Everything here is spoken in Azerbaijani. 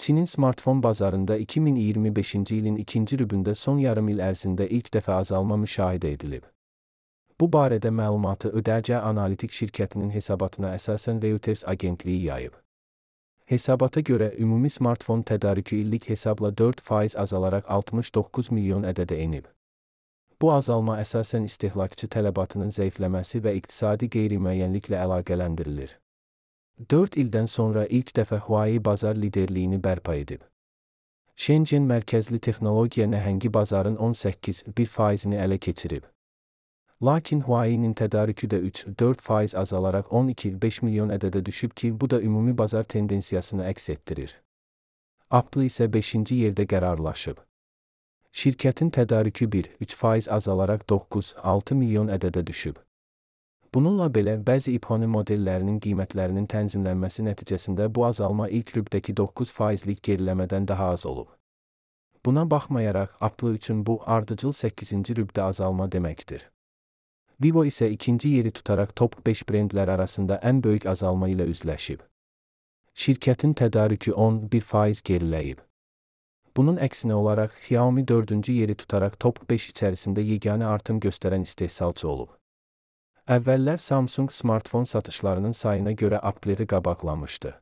Çinin smartfon bazarında 2025-ci ilin ikinci rübündə son yarım il ərzində ilk dəfə azalma müşahidə edilib. Bu barədə məlumatı Ödərcə Analitik şirkətinin hesabatına əsasən Reuters agentliyi yayıb. Hesabata görə ümumi smartfon tədarükü illik hesabla 4% azalaraq 69 milyon ədədə enib. Bu azalma əsasən istehlakçı tələbatının zəifləməsi və iqtisadi qeyri-müəyyənliklə əlaqələndirilir. 4 ildən sonra ilk dəfə Huawei bazar liderliyini bərpa edib. Shenzhen mərkəzli texnologiya nəhəngi bazarın 18,1%-ni ələ keçirib. Lakin Huawei'nin tədarükü də 3-4% azalaraq 12,5 milyon ədədə düşüb ki, bu da ümumi bazar tendensiyasını əks etdirir. Apple isə 5-ci yerdə qərarlaşıb. Şirkətin tədarükü 1-3% azalaraq 9-6 milyon ədədə düşüb. Bununla belə, bəzi iPhone modellərinin qiymətlərinin tənzimlənməsi nəticəsində bu azalma ilk rübdəki 9%lik geriləmədən daha az olub. Buna baxmayaraq, Apple üçün bu ardıcıl 8-ci rübdə azalma deməkdir. Vivo isə ikinci yeri tutaraq top 5 brendlər arasında ən böyük azalma ilə üzləşib. Şirkətin tədarükü 11% geriləyib. Bunun əksinə olaraq, Xiaomi 4-cü yeri tutaraq top 5 içərisində yeganə artım göstərən istehsalçı olub. Əvvəllər Samsung smartfon satışlarının sayına görə Apple'i qabaqlamışdı.